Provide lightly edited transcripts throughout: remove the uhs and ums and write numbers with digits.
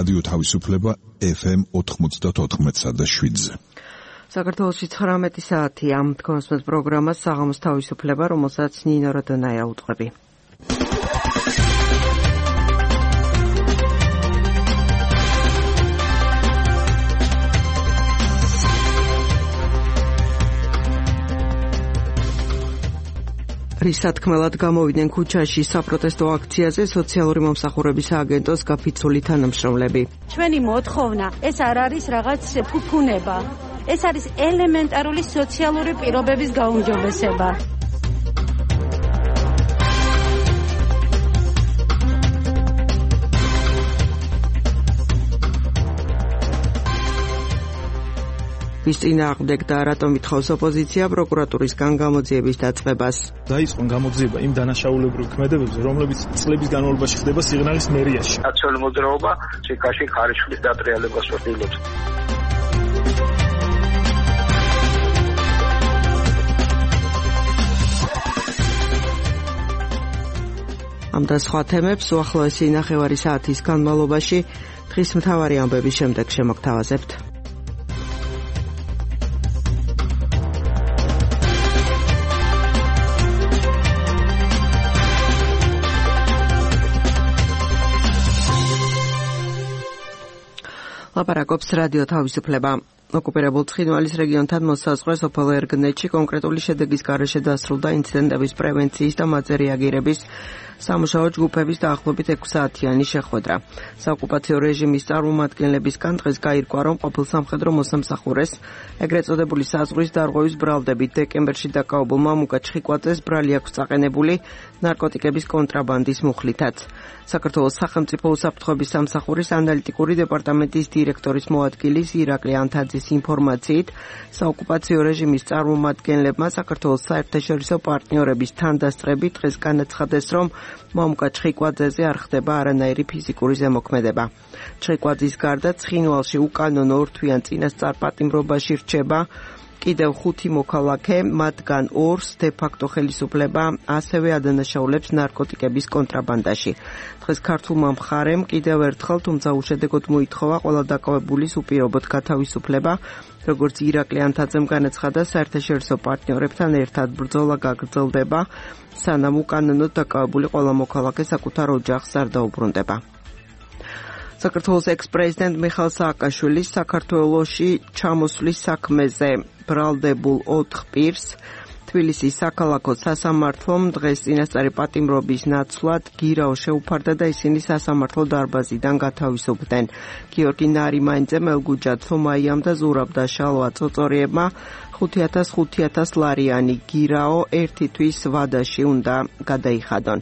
რადიო თავისუფლება FM 94.7-ზე. საქართველოში 19 საათია. თქვენს პროგრამას საღამოს თავისუფლება, რომელსაც ნინო როდონაია უძღვები. რისათქმელად გამოვიდნენ ქუჩაში საპროტესტო აქციაზე სოციალური მომსახურების სააგენტოს გაფიცული თანამშრომლები. ჩვენი მოთხოვნა ეს არ არის რაღაც ფუფუნება. ეს არის ელემენტარული სოციალური პირობების გაუმჯობესება. ვის წინააღმდეგ და რატომ ითხოვს ოპოზიცია პროკურატურისგან გამოძიების დაწყებას. დაიწყო გამოძიება იმ დანაშაულებრივ ქმედებებზე, რომლებიც წლების განმავლობაში ხდება სიღნაღის მერიაში. ნაციონალური მოძრაობა ჩიკაში ხარისხის დატრიალებას ვთილობს. ამ და სხვა თემებს უახლოესი ნახევარი საათის განმავლობაში დღის მთავარი ამბების შემდეგ შემოგთავაზებთ. ლაპარაკობს რადიო თავისუფლება. ოკუპირებულ ცხინვალის რეგიონთან მოსაზღვრე სოფელ ერგნეთში კონკრეტული შედეგის გარეშე დასრულდა ინციდენტების პრევენციის და მათზე რეაგირების სამუშაო ჯგუფების დაახლოებით 6 საათიანი შეხვედრა. საოკუპაციო რეჟიმის წარმომადგენლებისგან დღეს გაირკვა, რომ ყოფილ სამხედრო მოსამსახურეს ეგრეთ წოდებული საზღვრის დარღვევის ბრალდებით დეკემბერში დაკავებულმა მუკა ჩხიკვაძეს ბრალი აქვს წაყენებული ნარკოტიკების კონტრაბანდის მუხლითაც. საქართველოს სახელმწიფო უსაფრთხოების სამსახურის ანალიტიკური დეპარტამენტის დირექტორის მოადგილის ირაკლი ანთაძის ინფორმაციით, საოკუპაციო რეჟიმის წარმომადგენლებმა საქართველოს საერთაშორისო პარტნიორების თანდასწრებით დღეს განაცხადეს, რომ მამუკა ჩხიკვაძეზე არ ხდება არანაირი ფიზიკური ზემოქმედება. ჩხიკვაძის გარდა ცხინვალში უკანონო ორთვიან წინასწარ პატიმრობაში რჩება კიდევ 5 მოქალაქე, მათგან 2-ს დე-ფაქტო ხელისუფლება ასევე ადანაშაულებს ნარკოტიკების კონტრაბანდაში. დღეს ქართულმა მხარემ კიდევ ერთხელ, თუმცა უშედეგოდ მოითხოვა ყველა დაკავებულის უპირობოდ გათავისუფლება, როგორც ირაკლი ანთაძემ განაცხადა, საერთაშორისო პარტნიორებთან ერთად ბრძოლა გაგრძელდება, სანამ უკანონოდ დაკავებული ყველა მოქალაქე საკუთარ ოჯახს არ დაუბრუნდება. საქართველოს ექს-პრეზიდენტ მიხეილ სააკაშვილის საქართველოში ჩამოსვლის საქმეზე ბრალდებულ 4 პირს თბილისის საქალაქო სასამართლომ დღეს წინასწარი პატიმრობის ნაცვლად გირაო შეუფარდა და ისინი სასამართლო დარბაზიდან გათავისუფლდნენ. გიორგი ნარიმანიძე, მელგუჯა ცომაიამ და ზურაბ და შალვა წოწორიებმა 5,000 ლარიანი გირაო ერთი თვის ვადაში უნდა გადაიხადონ.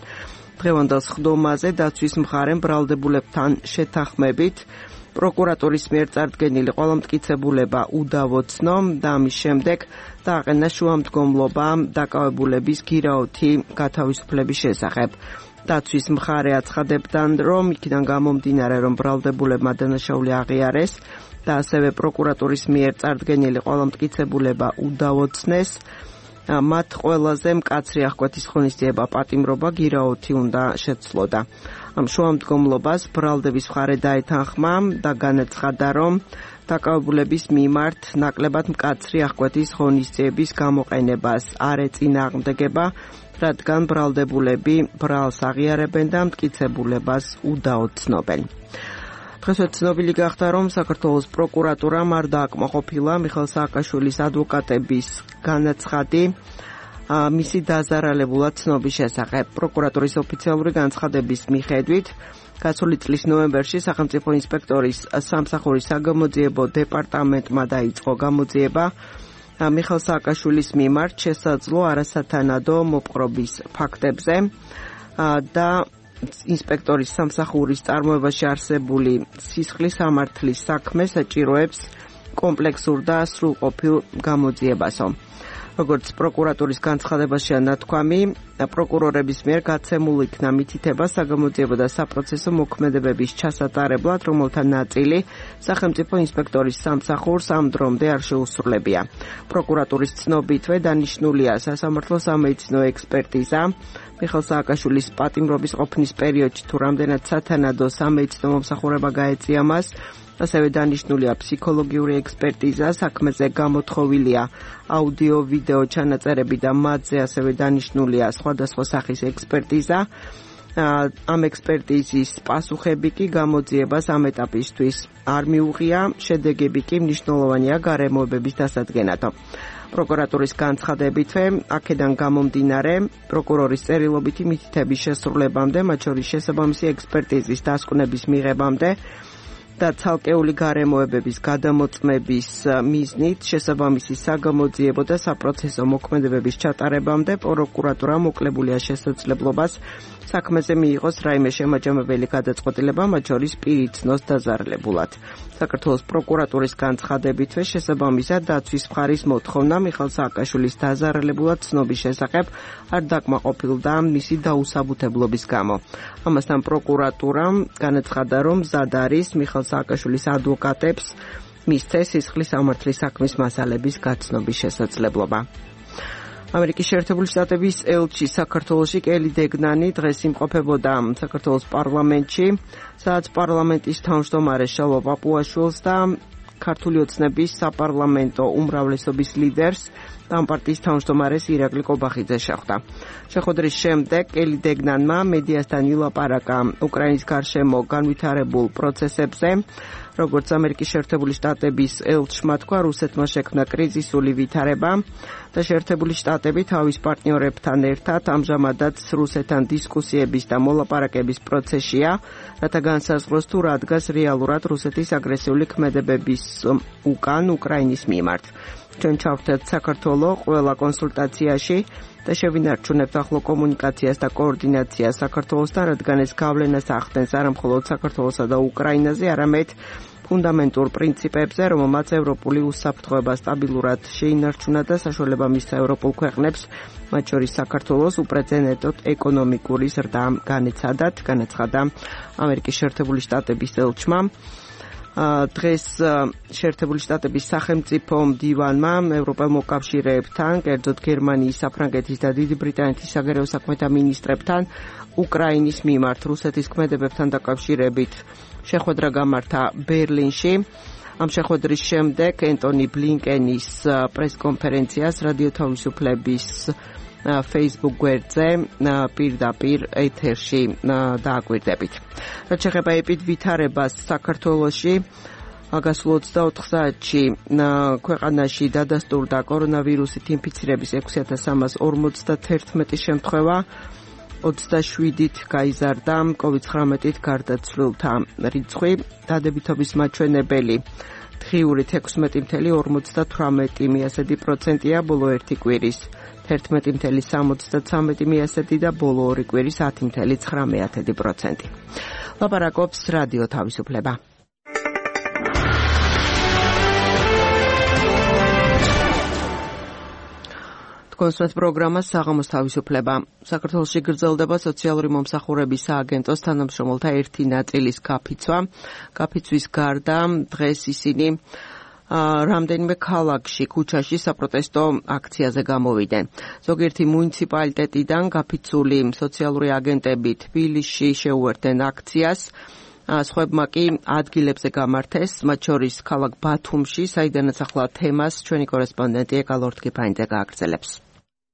დღევანდელ სხდომაზე დაცვის მხარემ ბრალდებულებთან შეთანხმებით პროკურატურის მიერ წარდგენილი ყველა მტკიცებულება უდავოცნო და ამის შემდეგ დააყენა შუამდგომლობა დაკავებულების გირაოთი გათავისუფლების შესახებ. დაცვის მხარე აცხადებდა, რომ იქიდან გამომდინარე, რომ ბრალდებულებმა დანაშაული აღიარეს და ასევე პროკურატურის მიერ წარდგენილი ყველა მტკიცებულება უდავოცნეს, მათ ყველაზე მკაცრი აღკვეთის ღონისძიება პატიმრობა გირაოთი უნდა შეცვლოდა. ამ შუამდგომლობას ბრალდების მხარე დაეთანხმა და განაცხადა, რომ დაკავებულების მიმართ ნაკლებად მკაცრი აღკვეთის ღონისძიების გამოყენებას არ ეწინააღმდეგება, რადგან ბრალდებულები ბრალს აღიარებენ და მტკიცებულებას უდაოცნობენ. დღესვე ცნობილი გახდა, რომ საქართველოს პროკურატურამ არ დააკმაყოფილა მიხეილ სააკაშვილის ადვოკატების განაცხადი მისი დაზარალებულად ცნობის შესახებ. პროკურატურის ოფიციალური განცხადების მიხედვით, გასული წლის ნოემბერში სახელმწიფო ინსპექტორის სამსახურის საგამოძიებო დეპარტამენტმა დაიწყო გამოძიება მიხეილ სააკაშვილის მიმართ შესაძლო არასათანადო მოპყრობის ფაქტებზე და ინსპექტორის სამსახურის წარმოებაში არსებული სისხლის სამართლის საქმე საჭიროებს კომპლექსურ და სრულყოფილ გამოძიებასო. როგორც პროკურატურის განცხადებაშია ნათქვამი, პროკურორების მიერ გაცემულ იქნა მითითება საგამოძიებო და საპროცესო მოქმედებების ჩასატარებლად, რომელთა ნაწილი სახელმწიფო ინსპექტორის სამსახურს ამ დრომდე არ შეუსრულებია. პროკურატურის ცნობითვე დანიშნულია სასამართლო სამედიცინო ექსპერტიზა მიხეილ სააკაშვილის პატიმრობის ყოფნის პერიოდში თუ რამდენად სათანადო სამედიცინო მომსახურება გაეწია მას, ასევე დანიშნულია ფსიქოლოგიური ექსპერტიზა, საქმეზე გამოთხოვილია აუდიო-ვიდეო ჩანაწერები და მათზე ასევე დანიშნულია სხვადასხვა სახის ექსპერტიზა. ამ ექსპერტიზის პასუხები კი გამოძიებას ამ ეტაპისთვის არ მიუღია, შედეგები კი მნიშვნელოვანია გარემოებების დასადგენად. პროკურატურის განცხადებითვე, აქედან გამომდინარე, პროკურორის წერილობითი მითითების შესრულებამდე, მათ შორის შესაბამისი ექსპერტიზის დასკვნების მიღებამდე და ცალკეული გარემოებების გადამოწმების მიზნით შესაბამისი საგამოძიებო და საპროცესო მოქმედებების ჩატარებამდე პროკურატურა მოკლებულია შესაძლებლობას საქმეზე მიიღოს რაიმე შემაჯამებელი გადაწყვეტილება, მათ შორის პირი ცნოს დაზარალებულად. საქართველოს პროკურატურის განცხადებითვე შესაბამისად დაცვის მხარის მოთხოვნა მიხეილ სააკაშვილის დაზარალებულად ცნობის შესახებ არ დაკმაყოფილდა მისი დაუსაბუთებლობის გამო. ამასთან პროკურატურამ განაცხადა, რომ მზად არის მიხეილ სააკაშვილის ადვოკატებს მისცეს სისხლის სამართლის საქმის მასალების გაცნობის შესაძლებლობა. ამერიკის შეერთებული შტატების ელჩი საქართველოში კელი დეგნანი დღეს იმყოფებოდა საქართველოს პარლამენტში, სადაც პარლამენტის თავმჯდომარე შალვა პაპუაშვილს და ქართული ოცნების საპარლამენტო უმრავლესობის ლიდერს და ამ პარტიის თავმჯდომარეს ირაკლი კობახიძე შეხვდა. შეხვედრის შემდეგ კელი დეგნანმა მედიასთან ილაპარაკა უკრაინის გარშემო განვითარებულ პროცესებზე. როგორც ამერიკის შეერთებული შტატების ელჩმა თქვა, რუსეთმა შექმნა კრიზისული ვითარება და შეერთებული შტატები თავის პარტნიორებთან ერთად ამჟამადაც რუსეთთან დისკუსიების და მოლაპარაკების პროცესშია, რათა განსაზღვროს თუ რა დგას რეალურად რუსეთის აგრესიული ქმედებების უკან უკრაინის მიმართ. ჩვენ ჩავხდეთ საქართველოს ყველა კონსულტაციაში და შევინარჩუნებთ ახლო კომუნიკაციას და კოორდინაციას საქართველოსთან, რადგან ეს გავლენას ახდენს არა მხოლოდ საქართველოსა და უკრაინაზე, არამედ ფუნდამენტურ პრინციპებზე, რომელმაც ევროპული უსაფრთხოება სტაბილურად შეინარჩუნა და საშუალება მისცა ევროპულ ქვეყნებს, მათ შორის საქართველოს უპრეცედენტოდ ეკონომიკური ზრდა განეცადათ, განაცხადა ამერიკის შეერთებული შტატების ელჩმა. დღეს შეერთებული შტატების სახელმწიფო მდივანმა ევროპელ მოკავშირეებთან, კერძოდ გერმანიის, საფრანგეთის და დიდი ბრიტანეთის საგარეო საქმეთა მინისტრებთან უკრაინის მიმართ რუსეთის ქმედებებთან დაკავშირებით შეხვედრა გამართა ბერლინში. ამ შეხვედრის შემდეგ ენტონი ბლინკენის პრესკონფერენციას რადიო თავისუფლების Facebook გვერდზე პირდაპირ ეთერში დააკვირდებით. რაც შეეხება ეპიდვითარებას საქართველოში, გასულ 24 საათში ქვეყანაში დადასტურდა კორონავირუსით ინფიცირების 6351 შემთხვევა, 27-ით გაიზარდა COVID-19-ით გარდაცვლილთა რიცხვი, დადებითობის მაჩვენებელი დღიურით 16.58%-ია ბოლო ერთი კვირის, 11.73% და ბოლო ორი კვირის 10.9%. ლაპარაკობს რადიო თავისუფლება. კონსულტ პროგრამა საღამოს თავისუფლება. საქართველოში გრძელდება სოციალური მომსახურების სააგენტოს თანამშრომელთა ერთი ნაწილის გაფიცვა. გაფიცვის გარდა დღეს ისინი რამდენიმე ქალაქში, ქუჩაში საპროტესტო აქციაზე გამოვიდნენ. ზოგიერთი მუნიციპალიტეტიდან გაფიცული სოციალური აგენტები თბილისში შეუერთდნენ აქციას. სხვებმა კი ადგილებზე გამართეს, მათ შორის ქალაქ ბათუმში, საიდანაც ახლა თემას ჩვენი კორესპონდენტი ეკალორთ კიფაინძე გააგრძელებს.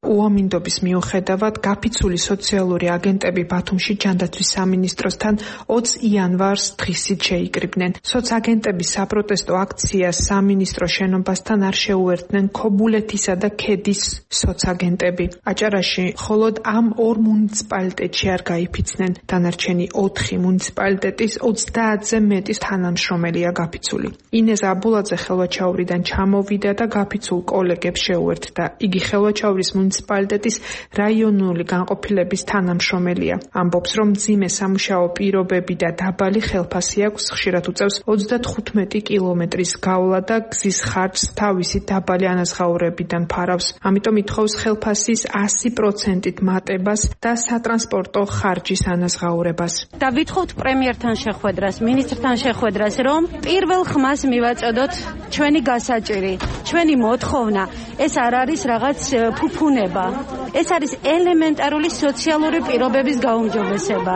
უამინდობის მიუხედავად გაფიცული სოციალური აგენტები ბათუმში ჯანდაცვის სამინისტროსთან 20 იანვარს დღისით შეიკრიბნენ. სოცაგენტების საპროტესტო აქციას სამინისტრო შენობასთან არ შეუერთდნენ ქობულეთისა და ქედის სოცაგენტები. აჭარაში მხოლოდ ამ ორ მუნიციპალიტეტში არ გაიფიცნენ. დანარჩენი 4 მუნიციპალიტეტის 30-ზე მეტი თანამშრომელია გაფიცული. ინეზა აბულაძე ხელვაჩაურიდან ჩამოვიდა და გაფიცულ კოლეგებს შეუერთდა. იგი ხელვაჩაურის მუნიციპალიტეტის რაიონული განყოფილების თანამშრომელია. ამბობს, რომ მძიმე სამუშაო პირობები და დაბალი ხელფასი აქვს, ხშირად უწევს 35 კილომეტრის გავლა და გზის ხარჯს თავისი დაბალი ანაზღაურებიდან ფარავს. ამიტომ ითხოვს ხელფასის 100%-ით მატებას და სატრანსპორტო ხარჯის ანაზღაურებას. და ვითხოვთ პრემიერთან შეხვედრას, მინისტრთან შეხვედრას, რომ პირველ ხმას მივაწოდოთ ჩვენი გასაჭირი, ჩვენი მოთხოვნა. ეს არ არის რაღაც ფუფუნება. ეს არის ელემენტარული სოციალური პირობების გაუმჯობესება,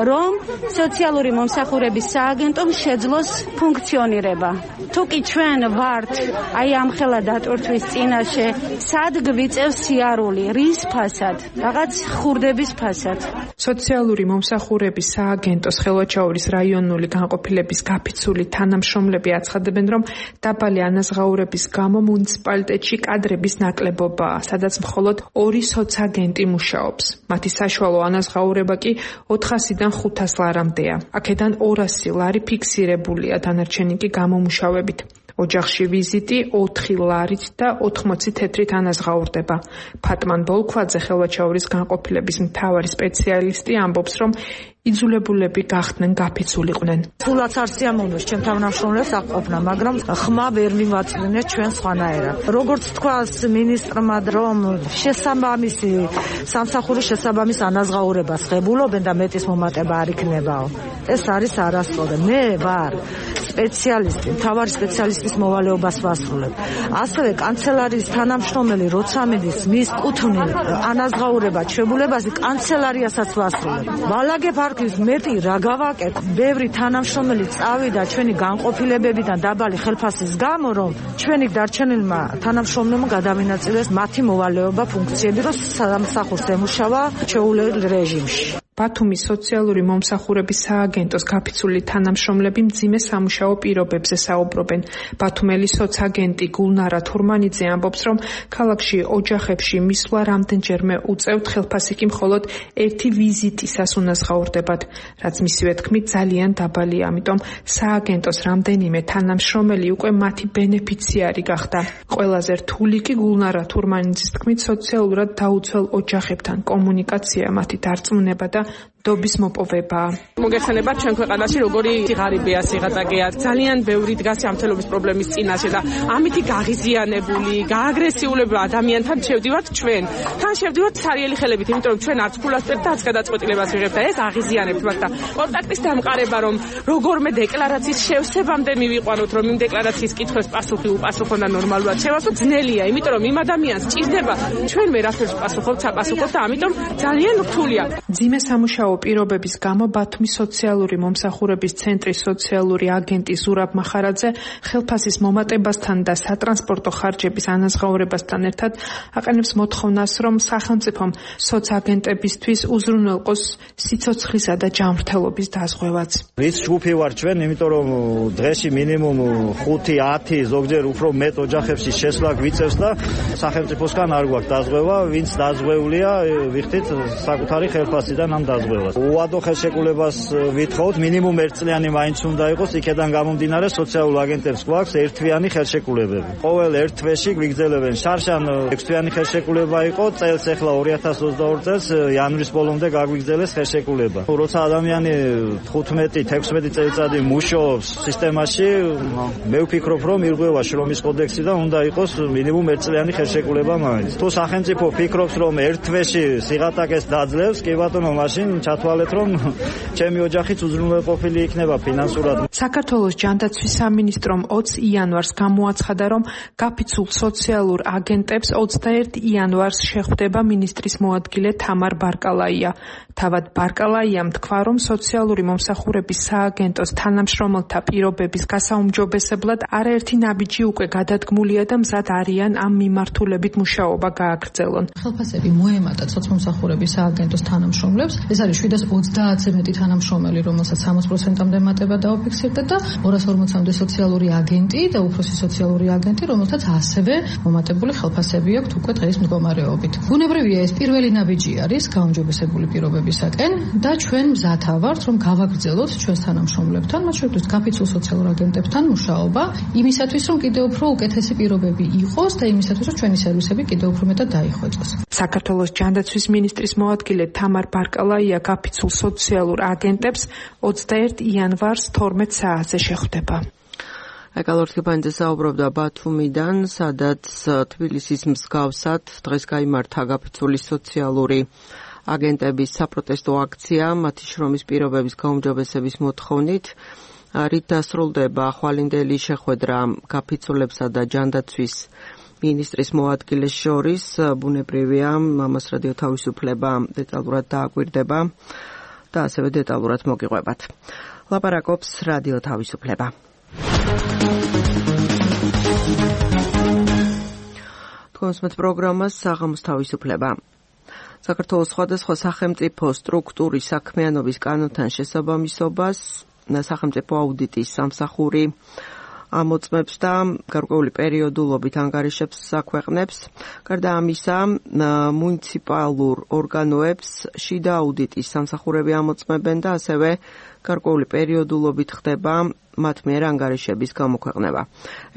რომ სოციალური მომსახურების სააგენტომ შეძლოს ფუნქციონირება. თუ კი ჩვენ ვართ აი ამ ხელა დატვირთვის წინაშე, სად გვიწევს სიარული, რის ფასად, რაღაც ხურდების ფასად. სოციალური მომსახურების სააგენტოს ხელვაჩაურის რაიონული განყოფილების გაფიცული თანამშრომლები აცხადებენ, რომ დაბალი ანაზღაურების გამო მუნიციპალიტეტში კადრების ნაკლებობაა, სადაც მხოლოდ 2 სოცაგენტი მუშაობს. მათი საშუალო ანაზღაურება კი 400-დან 500 ლარამდეა. აქედან 200 ლარი ფიქსირებულია, დანარჩენი კი გამომუშავებით. ოჯახში ვიზიტი 4 ლარით და 80 თეთრით ანაზღაურდება. ფატმან ბოლქვაძე ხელვაჩაურის განყოფილების მთავარი სპეციალისტი ამბობს, რომ იძულებულები გახდნენ გაფიცულიყვნენ. Სულაც არ სიამოვნებს ჩვენ თანამშრომლებს აღყოფნა, მაგრამ ხმა ვერ მივაწვინეთ ჩვენ სხვანაირად. როგორც თქვას მინისტრმა, რომ შესაბამისი სამსახურის შესაბამის ანაზღაურებას ღებულობენ და მეტის მომატება არ იქნებაო. ეს არის არასწორი. მე ვარ სპეციალისტი, მთავარი სპეციალისტის მოვალეობას ვასრულებ. ასევე კანცელარიის თანამშრომელი როცა მიდის მის კუთვნილ ანაზღაურება ჩვეულებაზე კანცელარიასაც ვასრულებ. ვალაგებ არქივის მეტი რა გავაკეთე. ბევრი თანამშრომელი წავიდა ჩვენი განყოფილებებიდან დაბალი ხელფასის გამო, რომ ჩვენი დარჩენილმა თანამშრომლებმა გადავინაწილეს მათი მოვალეობა ფუნქციები, რომ სამსახურს ემუშავა ჩვეულებრივ რეჟიმში. ბათუმის სოციალური მომსახურების სააგენტოს გაფიცული თანამშრომლები მძიმე სამუშაო პირობებზე საუბრობენ. ბათუმელი სოცაგენტი გულნარა თურმანიძე ამბობს, რომ ქალაქში ოჯახებში მისვლა რამდენჯერმე უწევთ, ხელფასი კი მხოლოდ 1 ვიზიტისას უნაზღაურდებათ, რაც მისივე თქმით ძალიან დაბალია, ამიტომ სააგენტოს რამდენიმე თანამშრომელი უკვე მათი ბენეფიციარი გახდა. ყველაზე რთული კი გულნარა თურმანიძის თქმით სოციალურად დაუცველ ოჯახებთან კომუნიკაცია, მათი დარწმუნება და დობის მოპოვებაა. მოგეხსენებათ ჩვენ ქვეყანაში როგორი ღარიბია სიღატაკეა, ძალიან ბევრი დგას ჯანმრთელობის პრობლემის წინაშე და ამითი გაღიზიანებული, გააგრესიულები ადამიანთან შევდივართ ჩვენ. თან შევდივართ სარიელი ხელებით, იმიტომ რომ ჩვენ არც ფულას წერთ და არც გადაწყვეტილებას ვიღებთ და ეს აღიზიანებთ მათ და კონტაქტის დამყარება, რომ როგორმე დეკლარაციის შევსებამდე მივიყვანოთ, რომ იმ დეკლარაციის კითხვებს პასუხი უპასუხონ და ნორმალურად შევასვათ, ძნელია, იმიტომ რომ იმ ადამიანს სჭირდება ჩვენ ვერაფერს პასუხობთ, საპასუხოთ და ამიტომ ძალიან რთულია. მძიმე სამუშაო პირობების გამო ბათუმის სოციალური მომსახურების ცენტრის სოციალური აგენტი ზურაბ მახარაძე ხელფასის მომატებასთან და სატრანსპორტო ხარჯების ანაზღაურებასთან ერთად აყენებს მოთხოვნას, რომ სახელმწიფომ სოცაგენტებისთვის უზრუნველყოს სიცოცხლისა და ჯანმრთელობის დაზღვევაც. რის ჯგუფი ვარ ჩვენ, იმიტომ რომ დღეში მინიმუმ 5-10 ზოგჯერ უფრო მეტ ოჯახებში შესვლა გვიწევს და სახელმწიფოსგან არ გვაქვს დაზღვევა, ვინც დაზღვეულია ვიხდით საკუთარი ხელფასიდან ამ დაზღვევას. უადო ხელშეკრულებას ვითხოვთ, მინიმუმ 1 წლიანი მაინც უნდა იყოს, იქედან გამომდინარე სოციალურ აგენტებს გვაქვს ერთთვიანი ხელშეკრულებები. ყოველ ერთ თვეში გვიგრძელებენ. შარშან 6 თვიანი ხელშეკრულება იყო, წელს ახლა 2022 წელს იანვრის ბოლომდე გაგვიგრძელეს ხელშეკრულება. როცა ადამიანი 15-16 წელიწადი მუშაობს სისტემაში, მე ვფიქრობ, რომ ირღვევა შრომის კოდექსი და უნდა იყოს მინიმუმ 1 წლიანი ხელშეკრულება მაინც. თუ სახელმწიფო ფიქრობს, რომ ერთ თვეში სიღატაკეს დაძლევს, კი ბატონო, მაშინ ჩათვალეთ, რომ ჩემი ოჯახიც უზრუნველყოფილი იქნება ფინანსურად. საქართველოს ჯანდაცვის სამინისტრომ 20 იანვარს გამოაცხადა, რომ გაფიცულ სოციალურ აგენტებს 21 იანვარს შეხვდება მინისტრის მოადგილე თამარ ბარკალაია. თავად ბარკალაიამ თქვა, რომ სოციალური მომსახურების სააგენტოს თანამშრომელთა პირობების გასაუმჯობესებლად არაერთი ნაბიჯი უკვე გადადგმულია და მზად არიან ამ მიმართულებით მუშაობა გააგრძელონ. ხელფასები მოემატათ სოციმომსახურების სააგენტოს თანამშრომლებს. ეს არის 730-ზე მეტი თანამშრომელი, რომელსაც 60%-მდე მატება დაუფიქსირდა და 240-მდე სოციალური აგენტი და უფროსი სოციალური აგენტი, რომელთაც ასევე მომატებული ხელფასები აქვთ უკვე დღის მდგომარეობით. ბუნებრივია, ეს პირველი ნაბიჯი არის გაუმჯობესებული პირობებისაკენ და ჩვენ მზათა ვართ, რომ გავაგრძელოთ ჩვენს თანამშრომლებთან, მათ შორის გაფიცულ სოციალურ აგენტებთან მუშაობა, იმისათვის, რომ კიდევ უფრო უკეთესი პირობები იყოს და იმისათვის, რომ ჩვენი სერვისები კიდევ უფრო მეტად დაიხვეწოს. საქართველოს ჯანდაცვის მინისტრის მოადგილე თამარ ბარკალაია გაფიცულ სოციალურ აგენტებს 21 იანვარს 12 საათზე შეხვდება. ეკალორთგებანიძე საუბრობდა ბათუმიდან, სადაც თბილისის მსგავსად დღეს გაიმართა გაფიცული სოციალური აგენტების საპროტესტო აქცია, მათი შრომის პირობების გაუმჯობესების მოთხოვნით. რით დასრულდება ხვალინდელი შეხვედრა გაფიცულებსა და ჯანდაცვის მინისტრის მოადგილეს შორის, ბუნებრივია, ამას რადიო თავისუფლება დეტალურად დააკვირდება და ასევე დეტალურად მოგიყვებათ. ლაპარაკობს რადიო თავისუფლება. თქვენს პროგრამას საღამოს თავისუფლება. საქართველოს სხვადასხვა სახელმწიფო სტრუქტურის საქმიანობის კანონთან შესაბამისობას სახელმწიფო აუდიტის სამსახური ამოწმებს და გარკვეული პერიოდულობით ანგარიშებს აქვეყნებს. გარდა ამისა, მუნიციპალურ ორგანოებს შიდა აუდიტის სამსახურები ამოწმებენ და ასევე გარკვეული პერიოდულობით ხდება მათ მიერ ანგარიშების გამოქვეყნება.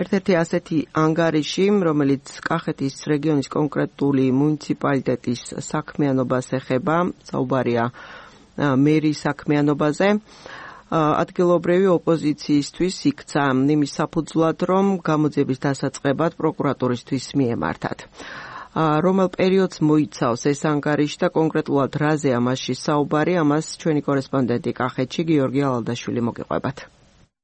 ერთ-ერთი ასეთი ანგარიში, რომელიც კახეთის რეგიონის კონკრეტული მუნიციპალიტეტის საქმიანობას ეხება, საუბარია მერის საქმიანობაზე, ადგილობრივი ოპოზიციისთვის იქცა იმის საფუძვლად, რომ გამოძიების დასაწყებად პროკურატურისთვის მიემართათ. რომელ პერიოდს მოიცავს ეს ანგარიში და კონკრეტულად რაზეა მასში საუბარი, ამას ჩვენი კორესპონდენტი კახეთში გიორგი ალალდაშვილი მოგიყვებათ.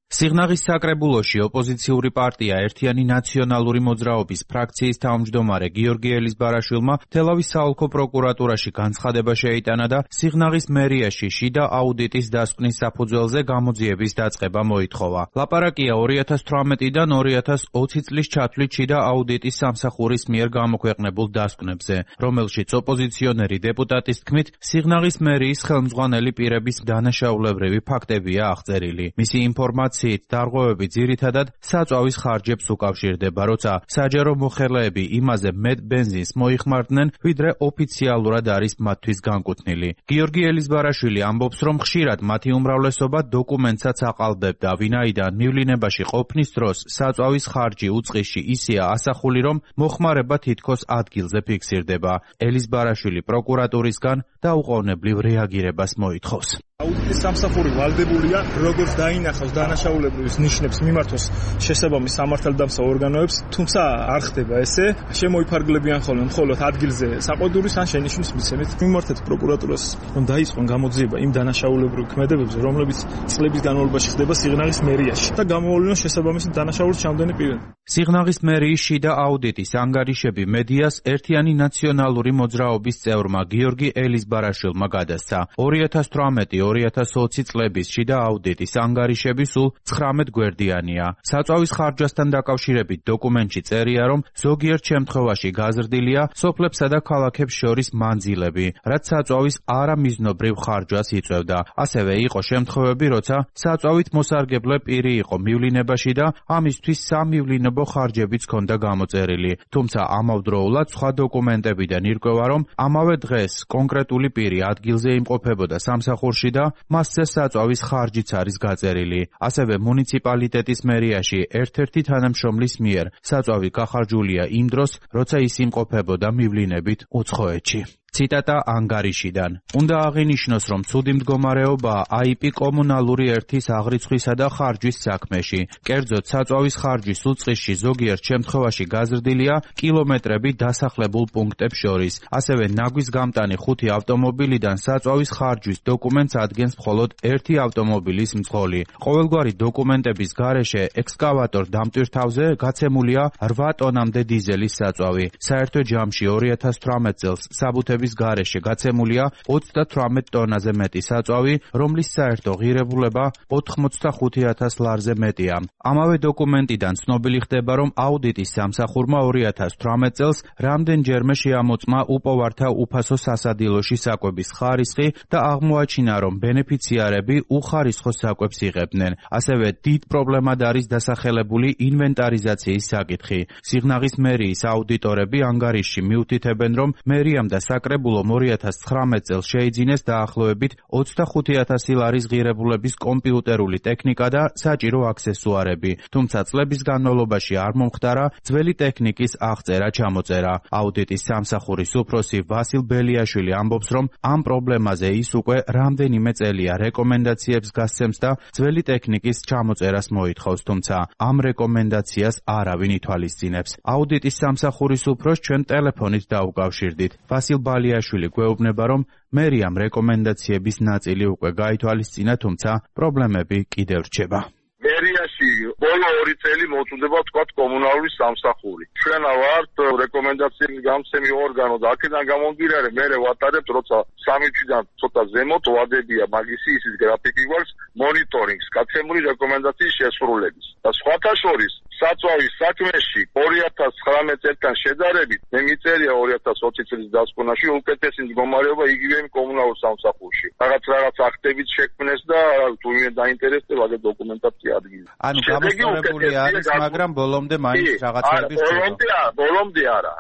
სიღნაღის საკრებულოში ოპოზიციური პარტია ერთიანი ნაციონალური მოძრაობის ფრაქციის თავმჯდომარე გიორგი ელიზბარაშვილმა თელავის საოლქო პროკურატურაში განცხადება შეიტანა და სიღნაღის მერიაში შიდა აუდიტის დასკვნის საფუძველზე გამოძიების დაწყება მოითხოვა. ლაპარაკია 2018-დან 2020 წლის ჩათვლით შიდა აუდიტის სამსახურის მიერ გამოქვეყნებულ დასკვნებზე, რომელშიც ოპოზიციონერი დეპუტატის თქმით სიღნაღის მერიის ხელმძღვანელი პირების დანაშაულებრივი ფაქტებია აღწერილი. მისი ინფორმაცია დარღვევები ძირითადად საწვავის ხარჯებს უკავშირდება, როცა საჯარო მოხელეები იმაზე მეტ ბენზინს მოიხმარდნენ, ვიდრე ოფიციალურად არის მათთვის განკუთვნილი. გიორგი ელიზბარაშვილი ამბობს, რომ ხშირად მათი უმრავლესობა დოკუმენტსაც აყალბებდა, ვინაიდან მივლინებაში ყოფნის დროს საწვავის ხარჯი უწყისში ისეა ასახული, რომ მოხმარება თითქოს ადგილზე ფიქსირდება. ელიზბარაშვილი პროკურატურისგან დაუყოვნებლივ რეაგირებას მოითხოვს. აუდიტის სამსახური ვალდებულია როგორც დაინახავს დანაშაულებრივის ნიშნებს მიმართოს შესაბამის სამართალდამცავ ორგანოებს, თუმცა არ ხდება ესე, შემოიფარგლებიან ხოლმე მხოლოდ ადგილზე საყოდურის ან შენიშვნის მიცემით. მიმართეთ პროკურატურას, რომ დაიწყონ გამოძიება იმ დანაშაულებრივ ქმედებებზე, რომლებიც წლების განმავლობაში ხდება სიღნაღის მერიაში და გამოავლინოს შესაბამისი დანაშაულის ჩამდენი პირები. სიღნაღის მერიის შიდა აუდიტის ანგარიშები მედიას ერთიანი ნაციონალური მოძრაობის წევრმა გიორგი ელიზბარაშვილმა გადასცა. 2018-2020 წლების შიდა აუდიტის ანგარიშები სულ 19 გვერდიანია. საწვავის ხარჯვასთან დაკავშირებით დოკუმენტში წერია, რომ ზოგიერთ შემთხვევაში გაზრდილია სოფლებსა და ქალაქებს შორის მანძილები, რაც საწვავის არამიზნობრივ ხარჯვას იწვევდა. ასევე იყო შემთხვევები, როცა საწვავით მოსარგებლე პირი იყო მივლინებაში და ამისთვის სამივლინებო ხარჯებიც ჰქონდა გამოწერილი. თუმცა ამავდროულად სხვა დოკუმენტებიდან ირკვევა, რომ ამავე დღეს კონკრეტული პირი ადგილზე იმყოფებოდა სამსახურში და მასზე საწვავის ხარჯიც არის გაწერილი. ასევე მუნიციპალიტეტის მერიაში ერთ-ერთი თანამშრომლის მიერ საწვავი გახარჯულია იმ დროს, როცა ის იმყოფებოდა მივლინებით უცხოეთში. ციტატა ანგარიშიდან. უნდა აღინიშნოს, რომ ცუდი მდგომარეობა IP კომუნალური ერთის აღრიცხვისა და ხარჯვის საქმეში. კერძოდ, საწვავის ხარჯვის უწყისში ზოგიერთ შემთხვევაში გაზრდილია კილომეტრები დასახლებულ პუნქტებს შორის. ასევე ნაგვის გამტანი 5 ავტომობილიდან საწვავის ხარჯვის დოკუმენტს ადგენს მხოლოდ ერთი ავტომობილის მძღოლი. ყოველგვარი დოკუმენტების გარეშე ექსკავატორ დამტვირთავზე გაცემულია 8 ტონამდე დიზელის საწვავი. საერთო ჯამში 2018 წელს საბუთების გარეშე გაცემულია 38 ტონაზე მეტი საწვავი, რომლის საერთო ღირებულება 85,000 ლარზე მეტია. ამავე დოკუმენტიდან ცნობილი ხდება, რომ აუდიტის სამსახურმა 2018 წელს რამდენჯერმე შეამოწმა უპოვართა უფასო სასადილოში საკვების ხარისხი და აღმოაჩინა, რომ ბენეფიციარები უხარისხო საკვებს იღებდნენ. ასევე დიდ პრობლემად არის დასახელებული ინვენტარიზაციის საკითხი. სიღნაღის მერიის აუდიტორები ანგარიშში მიუთითებენ, რომ მერიამ და საკრებულომ 2019 წელს შეიძინეს დაახლოებით 25,000 ლარის ღირებულების კომპიუტერული ტექნიკა და საჭირო აქსესუარები, თუმცა წლების განმავლობაში არ მომხდარა ძველი ტექნიკის აღწერა-ჩამოწერა. აუდიტის სამსახურის უფროსი ვასილ ბელიაშვილი ამბობს, რომ ამ პრობლემაზე ის უკვე რამდენიმე წელია რეკომენდაციებს გასცემს და ძველი ტექნიკის ჩამოწერას მოითხოვს, თუმცა ამ რეკომენდაციას არავინ ითვალისწინებს. აუდიტის სამსახურის უფროსს ჩვენ ტელეფონით დაუკავშირდით. ვასილ ბელიაშვილი გვეუბნება, რომ მერიამ რეკომენდაციების ნაწილი უკვე გაითვალისწინა, თუმცა პრობლემები კიდევ რჩება. მერიაში ბოლო 2 წელი მოწუდება თქვათ კომუნალური სამსახური. ჩვენ ვართ რეკომენდაციების გამცემი ორგანო და აქედან გამომდინარე მე ვატარებთ, როცა 3 თვიდან ცოტა ზემოთ ვადებია მაგისი ისის გრაფიკი გვაქვს მონიტორინგს, გაცემული რეკომენდაციის შესრულების. და სხვათა შორის საწვავის საქმეში 2019 წელთან შედარებით მე მიწერია 2020 წლის დასკვნაში უკეთესი მდგომარეობა იგივე კომუნალურ სამსახურში. რაღაც აქტებით შექმნეს და თუ ვინმე დაინტერესდება და დოკუმენტაცია ადგილი. ანუ გამოსწორებული არის, მაგრამ ბოლომდე მაინც რაღაცები რჩება. ბოლომდე არა.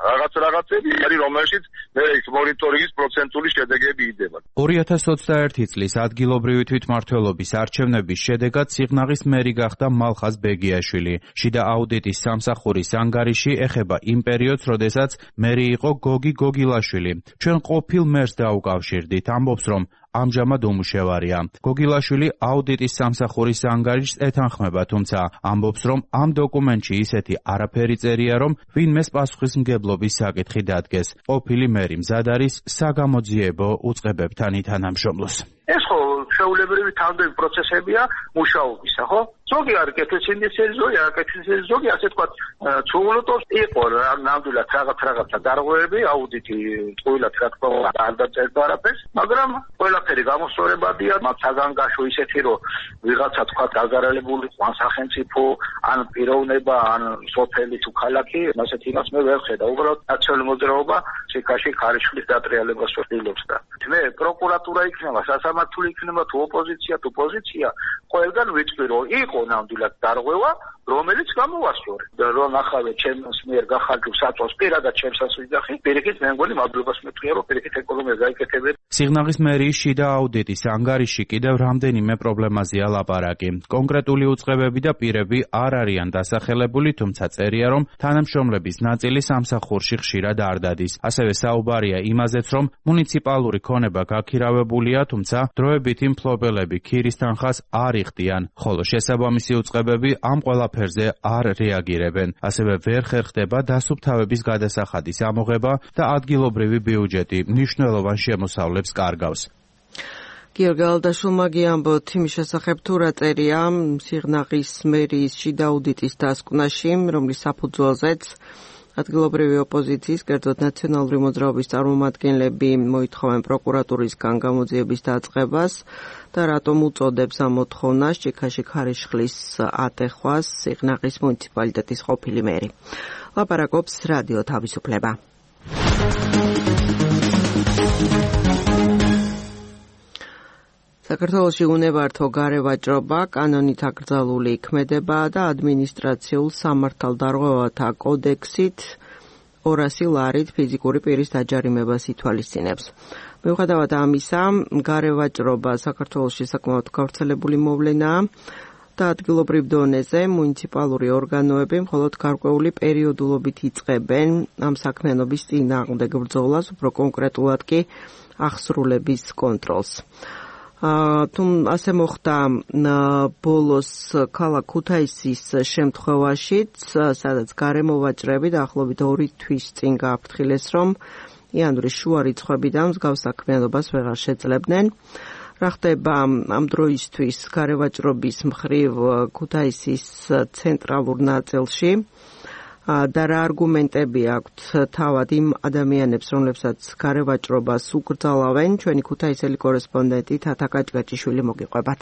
რაღაცები არის, რომელშიც მე ის მონიტორინგის პროცენტული შედეგები იდება. 2021 წლის ადგილობრივი თვითმმართველობის არჩევნების შედეგად სიღნაღის მერი გახდა მალხაზ ბეგიაშვილი. შიდა აუდიტის სამსახურის ანგარიში ეხება იმ პერიოდს, როდესაც მერი იყო გოგი გოგილაშვილი. ჩვენ ყოფილ მერს დაუკავშირდით, ამბობს, რომ ამჟამად უმუშევარია. გოგილაშვილი აუდიტის სამსახურის ანგარიშს ეთანხმება, თუმცა ამბობს, რომ ამ დოკუმენტში ისეთი არაფერი წერია, რომ ვინმეს პასუხისმგებლობის საკითხი დადგეს. ყოფილი მერი მზად არის საგამოძიებო უწყებებთან ითანამშრომლოს. ეს ხო შეულებრივი თანამდებობრივი პროცესებია მუშაობისა, ხო? ზოგი არის კეთილსინდისელი, ზოგი არ კეთილსინდისელი, ზოგი ასე თქვა ცუღლუტოს იყო ნამდვილად რაღაცა დარღვევები, აუდიტი ყოველად რა თქმა უნდა არ დაწერდა არაფერს, მაგრამ ყველაფერი გამოსწორებადია, მათ საგანგაშო ისეთი, რომ ვიღაცა თქვა დაზარალებული ან სახელმწიფო, ან პიროვნება, ან სოფელი თუ ქალაქი, ასეთ იმას მე ვერ ხედავ. უბრალოდ ნაციონალური მოძრაობა ციხეში ხარისხის დატრიალებას ვცდილობს და მე პროკურატურა იქნება, სასამართლო იქნება, თუ ოპოზიცია, თუ პოზიცია, ყველგან ვიწვი, რომ იყო ნამდვილად დარღვევა, რომელიც გამოვასწორე. რომ ახალე ჩემს მიერ გახარჯულ საწოლს პირადად ჩემსაც ვიძახი, პირიქით მე მგონი მადლობას მეთქია, რომ პირიქით ეკონომია გაიკეთებინა. სიღნაღის მერიის შიდა აუდიტის ანგარიში კიდევ რამდენიმე პრობლემაზეა ლაპარაკი. კონკრეტული უწყებები და პირები არ არიან დასახელებული, თუმცა წერია, რომ თანამშრომლების ნაწილი სამსახურში ხშირად არ დადის. ასევე საუბარია იმაზეც, რომ მუნიციპალური ქონება გაქირავებულია, თუმცა დროებითი მფლობელები ქირის თანხას არ იხდიან, ხოლო შესაბამისი უწყებები ამ ყველაფერზე არ რეაგირებენ. ასევე ვერ ხერხდება დასუფთავების გადასახადის ამოღება და ადგილობრივი ბიუჯეტი მნიშვნელოვან შემოსავლებს კარგავს. გიორგი ალდაშვილმა გიამბოთ იმის შესახებ, თუ რა წერია სიღნაღის მერიის შიდა აუდიტის დასკვნაში, რომლის საფუძველზეც ადგილობრივი ოპოზიციის, კერძოდ ნაციონალური მოძრაობის წარმომადგენლები მოითხოვენ პროკურატურისგან გამოძიების დაწყებას და რატომ უწოდებს ამ მოთხოვნას ჭიქაში ხარისხლის ატეხვას სიღნაღის მუნიციპალიტეტის ყოფილი მერი. ლაპარაკობს რადიო თავისუფლება. საქართველოში უნებართო გარევაჭრობა კანონით აკრძალული ქმედება და ადმინისტრაციულ სამართალდარღვევათა კოდექსით 200 ლარით ფიზიკური პირის დაჯარიმებას ითვალისწინებს. მიუხედავად ამისა, გარევაჭრობა საქართველოში საკმაოდ გავრცელებული მოვლენაა და ადგილობრივ დონეზე მუნიციპალური ორგანოები მხოლოდ გარკვეული პერიოდულობით იწყებენ ამ საქმიანობის წინააღმდეგ ბრძოლას, უფრო კონკრეტულად კი აღსრულების კონტროლს. ასე მოხდა ბოლოს ქალაქ ქუთაისის შემთხვევაშიც, სადაც გარემოვაჭრები დაახლოებით 2 თვის წინ გააფრთხილეს, რომ იანვრის შუა რიცხვებიდან მსგავს საქმიანობას ვეღარ შეძლებდნენ. რა ხდება ამ დროისთვის გარევაჭრობის მხრივ ქუთაისის ცენტრალურ ნაწილში და რა არგუმენტები აქვთ თავად იმ ადამიანებს, რომლებსაც გარევაჭრობას უკრძალავენ, ჩვენი ქუთაისელი კორესპონდენტი თათა კაჭკაჭიშვილი მოგიყვებათ.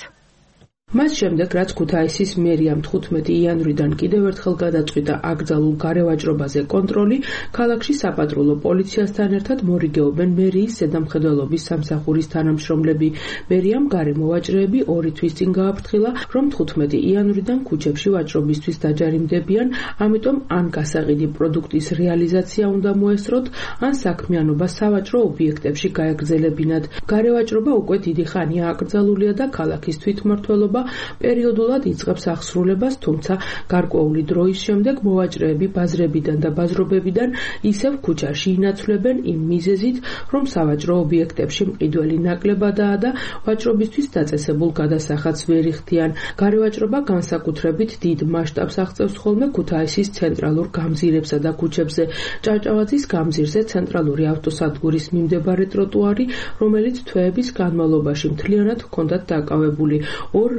მას შემდეგ, რაც ქუთაისის მერიამ 15 იანვრიდან კიდევ ერთხელ გადაწყვიტა აკრძალულ გარევაჭრობაზე კონტროლი, ქალაქში საპატრულო პოლიციასთან ერთად მორიგეობენ მერიის ზედამხედველობის სამსახურის თანამშრომლები. მერიამ გარემოვაჭრეები 2 თვის წინ გააფრთხილა, რომ 15 იანვრიდან ქუჩებში ვაჭრობისთვის დაჯარიმდებიან, ამიტომ ან გასაყიდი პროდუქტის რეალიზაცია უნდა მოესწროთ, ან საქმიანობა სავაჭრო ობიექტებში გაეგრძელებინათ. გარევაჭრობა უკვე დიდი ხანია აკრძალულია და ქალაქის თვითმმართველობა პერიოდულად იწყებს აღსრულებას, თუმცა გარკვეული დროის შემდეგ მოვაჭრეები ბაზრებიდან და ბაზრობებიდან ისევ ქუჩაში ინაცვლებენ იმ მიზეზით, რომ სავაჭრო ობიექტებში მყიდველი ნაკლებადაა და ვაჭრობისთვის დაწესებულ გადასახადს ვერ იხდიან. გარევაჭრობა განსაკუთრებით დიდ მასშტაბს აღწევს ხოლმე ქუთაისის ცენტრალურ გამზირებსა და ქუჩებზე. ჭავჭავაძის გამზირზე ცენტრალური ავტოსადგურის მიმდებარე ტროტუარი, რომელიც თვეების განმავლობაში მთლიანად ჰქონდათ დაკავებული.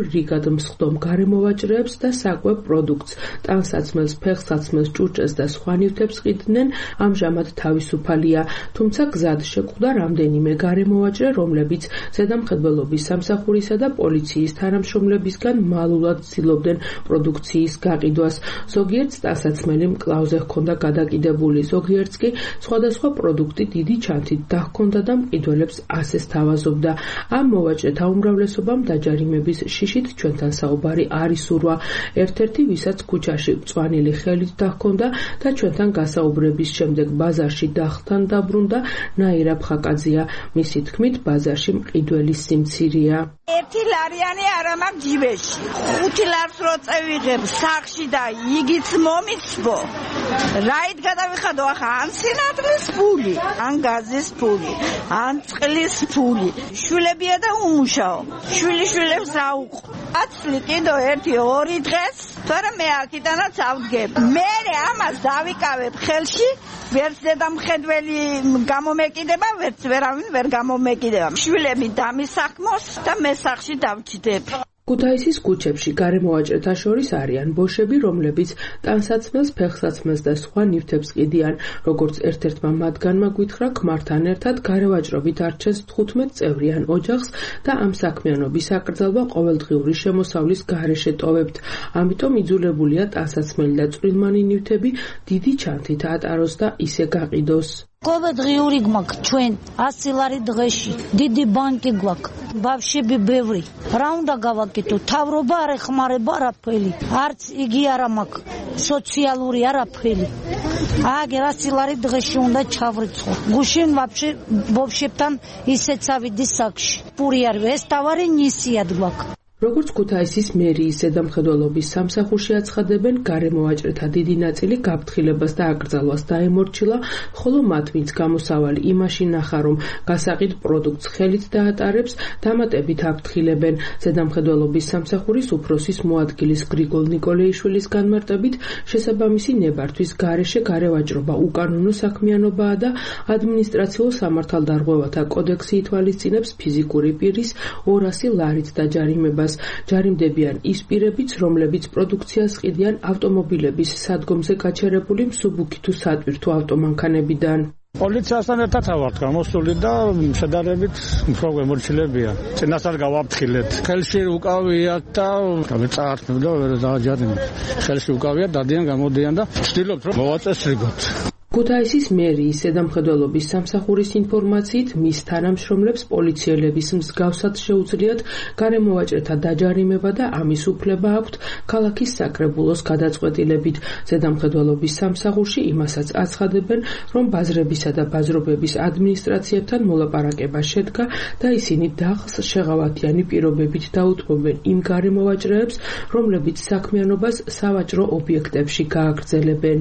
რიგად მსხდომ გარემოვაჭრეებს და საკვებ პროდუქტს, ტანსაცმელს, ფეხსაცმელს, ჭურჭელს და სხვა ნივთებს ყიდნენ, ამჟამად თავისუფალია, თუმცა გზად შეკვდა რამდენიმე გარემოვაჭრე, რომლებიც ზედამხედველობის სამსახურისა და პოლიციის თანამშრომლებისგან მალულად ცდილობდნენ პროდუქციის გაყიდვას. ზოგიერთს ტანსაცმელი მკლავზე ჰქონდა გადაკიდებული, ზოგიერთს კი სხვადასხვა პროდუქტი დიდი ჩანთით დაჰქონდა და მყიდველებს ასე სთავაზობდა. ამ მოვაჭრეთა უმრავლესობამ დაჯარიმების შიშით ჩვენთან საუბარი არ ისურვა. ერთ-ერთი, ვისაც ქუჩაში მწვანილი ხელით დაჰქონდა და ჩვენთან გასაუბრების შემდეგ ბაზარში დახთან დაბრუნდა, ნაირა ფხაკაძია. მისი თქმით, ბაზარში მყიდველის სიმცირეა. 1 ლარიანი არ მაქვს ჯიბეში. 5 ლარს რო წევიღებ სახში და იგიც მომიცბო. რაით გადავიხადო ახლა ან სინათლის ფული, ან გაზის ფული, ან წყლის ფული. შვილებია და უმუშაო. შვილიშვილებს რა უყო. აცლი კიდო 1-2 დღეს, თორემ მე აქიდანაც ავდგებ. მე ამას დავიკავებ ხელში, ვერც ზედამხედველი გამომეკიდება, ვერც ვერავინ ვერ გამომეკიდება. შვილები დამისახმოს და მე სახში დავჭდებ. ქუთაისის ქუჩებში გარემოვაჭრეთა შორის არიან ბოშები, რომლებიც ტანსაცმელს, ფეხსაცმელს და სხვა ნივთებს ყიდიან. როგორც ერთ-ერთმა მათგანმა გვითხრა, ქმართან ერთად გარევაჭრობით არჩენს 15 წევრიან ოჯახს და ამ საქმიანობის აკრძალვა ყოველდღიური შემოსავლის გარეშე ტოვებთ. ამიტომ იძულებულია ტანსაცმელი და წვრილმანი ნივთები დიდი ჩანთით ატაროს და ისე გაყიდოს. ყოველდღიური გვაქვს ჩვენ 100 ლარი დღეში, დიდი ბანკი გვაქვს, ბავშვები ბევრი. რა უნდა გავაკეთო? თავრობა არ ეხმარება არაფერი. არც იგი არა მაქვს, სოციალური არაფერი. აგერ 100 ლარი დღეში უნდა ჩავრიცხო. გუშინ ვაფშე ბავშვებთან ისეც ავიდი საკში. პური არ ეს თავარი ნისიად გვაქვს. როგორც ქუთაისის მერიის ზედამხედველობის სამსახურში აცხადებენ, გარემოვაჭრეთა დიდი ნაწილი გაფრთხილებას და აკრძალვას დაემორჩილა, ხოლო მათ, ვინც გამოსავალი იმაში ნახა, რომ გასაყიდ პროდუქტს ხელით დაატარებს, დამატებით აფრთხილებენ. ზედამხედველობის სამსახურის უფროსის მოადგილის გრიგოლ ნიკოლეიშვილის განმარტებით, შესაბამისი ნებართვის გარეშე გარევაჭრობა უკანონო საქმიანობაა და ადმინისტრაციულ სამართალდარღვევათა კოდექსი ითვალისწინებს ფიზიკური პირის 200 ლარით დაჯარიმებას. ჯარიმდებიან ის პირებიც, რომლებიც პროდუქციას ყიდიან ავტომობილების სადგომზე გაჩერებული მსუბუქი თუ სატვირთო ავტომანქანებიდან. პოლიციასთან ერთად ავართ გამოსული და შედარებით უფრო მემორჩილებია. წინასწარ გავაფრთხილეთ. ხელში უკავიათ და წაართმევ და ვერ დააჯარიმეთ. ხელში უკავიათ, დადიან, გამოდიან და ვცდილობთ რომ მოვაწესრიგოთ. ქუთაისის მერიის ზედამხედველობის სამსახურის ინფორმაციით, მის თანამშრომლებს პოლიციელების მსგავსად შეუძლიათ გარემოვაჭრეთა დაჯარიმება და ამის უფლება აქვთ ქალაქის საკრებულოს გადაწყვეტილებით. ზედამხედველობის სამსახურში იმასაც აცხადებენ, რომ ბაზრებისა და ბაზრობების ადმინისტრაციებთან მოლაპარაკება შედგა და ისინი დახს შეღავათიანი პირობებით დაუთმობენ იმ გარემოვაჭრეებს, რომლებიც საქმიანობას სავაჭრო ობიექტებში გააგრძელებენ.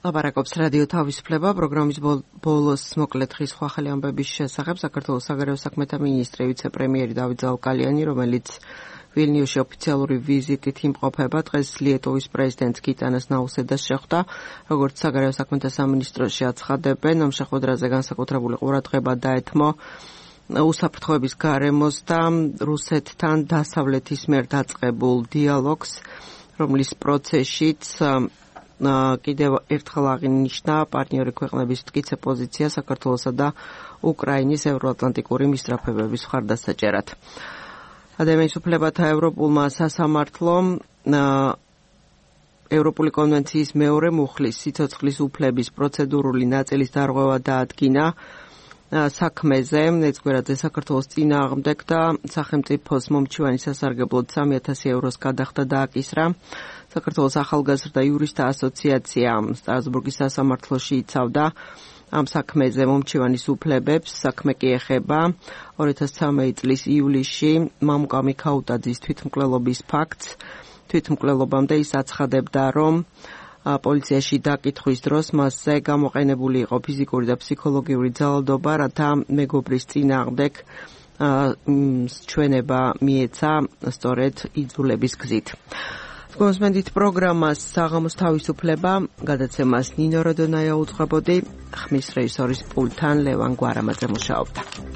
ლაპარაკობს რადიო თავისუფლება პროგრამის ბოლოს მოკლედ დღის სხვა ხელი ამბების შესახებ საქართველოს საგარეო საქმეთა მინისტრი ვიცე-პრემიერი დავით ზაუკალიანი, რომელიც ვილნიუსში ოფიციალური ვიზიტით იმყოფება, დღეს ლიეტუვის პრეზიდენტს გიტანას ნაუსედას შეხვდა. როგორც საგარეო საქმეთა სამინისტროში აცხადებენ, ამ შეხვედრაზე განსაკუთრებული ყურადღება დაეთმო უსაფრთხოების გარემოს და რუსეთთან დასავლეთის მიერ დაწყებულ დიალოგს, რომლის პროცესშიც კიდევ ერთხელ აღინიშნა პარტნიორი ქვეყნების მტკიცე პოზიცია საქართველოსა და უკრაინის ევროატლანტიკური მისწრაფებების მხარდასაჭერად. ადამიანის უფლებათა ევროპულმა სასამართლომ ევროპული კონვენციის მეორე მუხლის სიცოცხლის უფლების პროცედურული ნაწილის დარღვევა დაადგინა საქმეზე, ეცგვერაძე საქართველოს წინააღმდეგ და სახელმწიფოს მომჩივანი სასარგებლოდ 3,000 ევროს გადახდა დააკისრა. საქართველოს ახალგაზრდა იურისტთა ასოციაცია სტრასბურგის სასამართლოში იცავდა ამ საქმეზე მომჩივანის უფლებებს. საქმე კი ეხება 2013 წლის ივლისში მამუკა მიქაუტაძის თვითმკვლელობის ფაქტს. თვითმკვლელობამდე ის აცხადებდა, რომ პოლიციაში დაკითხვის დროს მასზე გამოყენებული იყო ფიზიკური და ფსიქოლოგიური ძალადობა, რათა მეგობრის წინააღმდეგ ჩვენება მიეცა სწორედ იძულების გზით. გონსმენდით პროგრამას საღამოს თავისუფლება, გადაცემას ნინო როდონაია უძღვებოდი, ხმის რეჟისორის პულტთან ლევან გვარამაძე მუშაობდა.